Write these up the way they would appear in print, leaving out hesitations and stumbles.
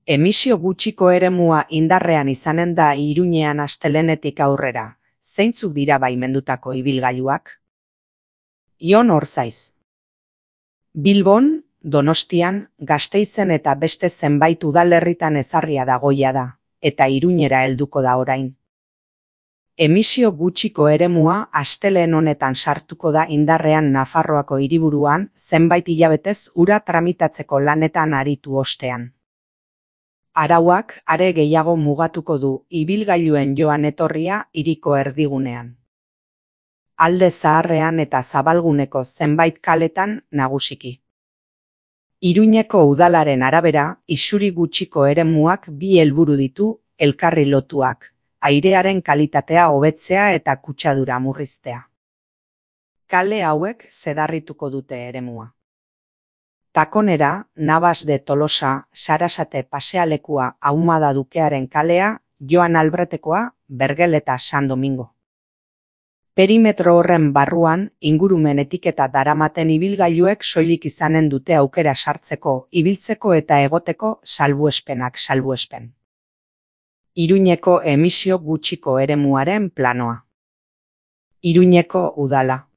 Emisio gutxiko eremua indarrean izanen da Iruñean astelehenetik aurrera. Zeintzuk dira baimendutako ibilgailuak? Jon Orzaiz. Bilbon, Donostian, Gasteizen eta beste zenbait udalerritan ezarria dagoia da, eta Iruñera helduko da orain. Emisio gutxiko eremua astelehen honetan sartuko da indarrean Nafarroako hiriburuan zenbait hilabetez ura tramitatzeko lanetan aritu ostean. Arauak are gehiago mugatuko du ibilgailuen joan etorria hiriko erdigunean. Alde Zaharrean eta Zabalguneko zenbait kaletan nagusiki. Iruñeko udalaren arabera, isuri gutxiko eremuak bi helburu ditu, elkarri lotuak, airearen kalitatea hobetzea eta kutsadura murriztea. Kale hauek zedarrituko dute eremua. Takonera, Navas de Tolosa, Sarasate pasealekua Ahumada Dukearen kalea, Joan Albretekoa, Bergel eta San Domingo. Perimetro horren barruan, ingurumen etiketa daramaten ibilgailuek soilik izanen dute aukera sartzeko, ibiltzeko eta egoteko salbuespen. Iruñeko emisio gutxiko eremuaren planoa. Iruñeko udala.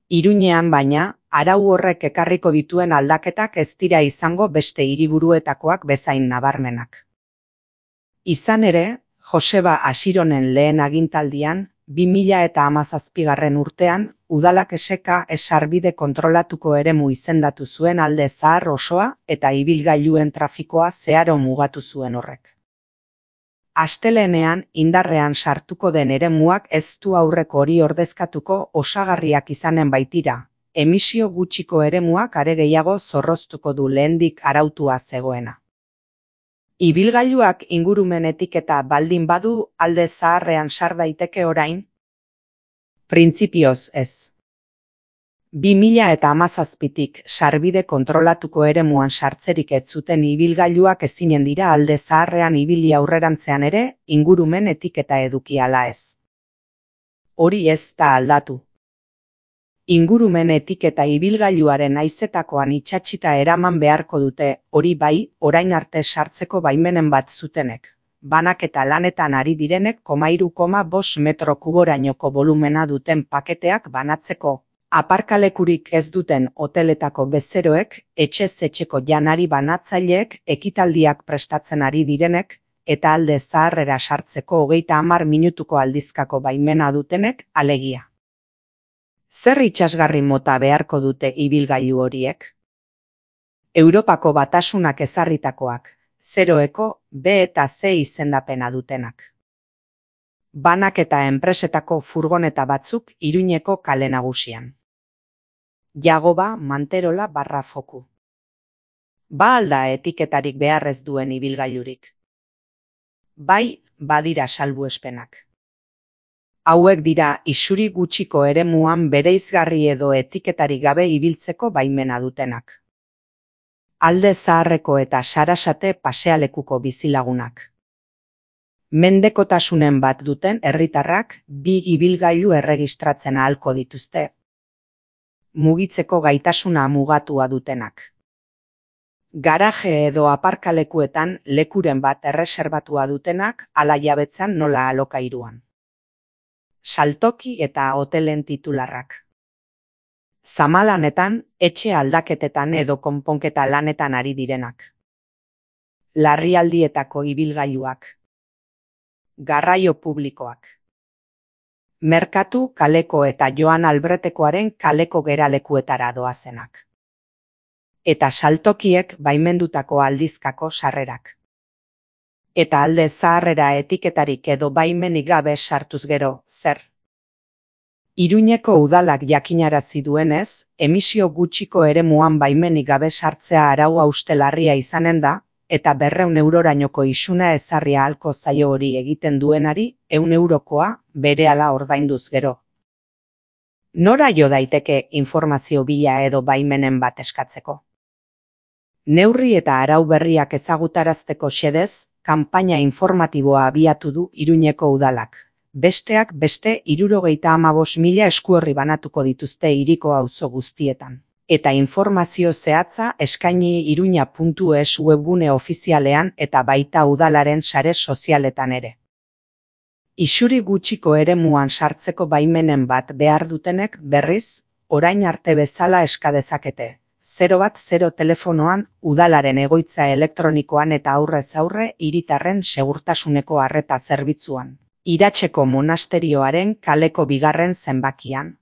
Iruñean baina, arau horrek ekarriko dituen aldaketak ez dira izango beste hiriburuetakoak bezain nabarmenak. Izan ere, Joseba Asironen lehen agintaldian, 2017 urtean, udalak sarbide kontrolatuko eremu izendatu zuen Alde Zahar osoa eta ibilgailuen trafikoa zeharo mugatu zuen horrek. Astelehenean indarrean sartuko den eremuak ez du aurreko hori ordezkatuko osagarriak izanen baitira, emisio gutxiko eremuak are gehiago zorroztuko du lehendik arautua zegoena. Ibilgailuak ingurumen etiketa baldin badu Alde Zaharrean sar daiteke orain? Printzipioz ez. 2017tik sarbide kontrolatuko eremuan sartzerik ez zuten ibilgailuak ezinen dira Alde Zaharrean ibili aurrerantzean ere ingurumen etiketa eduki ala ez. Hori ez da aldatu. Ingurumen etiketa ibilgailuaren haizetakoan itsatsita eraman beharko dute, hori bai, orain arte sartzeko baimenen bat zutenek. Banaketa lanetan ari direnek 3,5 metro kuborainoko volumena duten paketeak banatzeko. Aparkalekurik ez duten hoteletako bezeroek, etxez etxeko janari banatzaileek, ekitaldiak prestatzen ari direnek, eta Alde Zaharrera sartzeko 30 minutuko aldizkako baimena dutenek, alegia. Zer itsasgarri mota beharko dute ibilgailu horiek? Europako Batasunak ezarritakoak, 0eko B eta C izendapena dutenak. Banaketa enpresetako furgoneta batzuk Iruñeko kale nagusian. Jagoba Manterola /Foku. Ba alda etiketarik beharrez duen ibilgailurik? Bai, badira salbuespenak. Hauek dira isuri gutxiko eremuan bereizgarri edo etiketarik gabe ibiltzeko baimena dutenak. Alde Zaharreko eta Sarasate pasealekuko bizilagunak. Mendekotasunen bat duten herritarrak 2 ibilgailu erregistratzen ahalko dituzte. Mugitzeko gaitasuna mugatua dutenak. Garaje edo aparkalekuetan lekuren bat erreserbatua dutenak ala jabetzan nola alokairuan. Saltoki eta hotelen titularrak. Zamalanetan, etxe aldaketetan edo konponketa lanetan ari direnak. Larrialdietako ibilgailuak. Garraio publikoak. Merkatu kaleko eta Joan Albretekoaren kaleko geralekuetara doazenak. Eta saltokiek baimendutako aldizkako sarrerak. Eta Alde Zaharrera etiketarik edo baimenik gabe sartuz gero, zer? Iruñeko udalak jakinarazi duenez, emisio gutxiko eremuan baimenik gabe sartzea araua ustelarria izanen da, eta 200 eurorainoko isuna ezarria ahalko zaio hori egiten duenari 100 eurokoa berehala ordainduz gero. Nora jo daiteke informazio bila edo baimenen bat eskatzeko? Neurri eta arau berriak ezagutarazteko xedez, kanpaina informatiboa abiatu du Iruñeko udalak. Besteak beste 75.000 eskuorri banatuko dituzte hiriko auzo guztietan. Eta informazio zehatza eskaini iruña.es webgune ofizialean eta baita udalaren sare sozialetan ere. Isuri gutxiko eremuan sartzeko baimenen bat behar dutenek berriz, orain arte bezala eska dezakete. 010 telefonoan udalaren egoitza elektronikoan eta aurrez aurre hiritarren segurtasuneko arreta zerbitzuan. Iratzeko monasterioaren kaleko 2. zenbakian.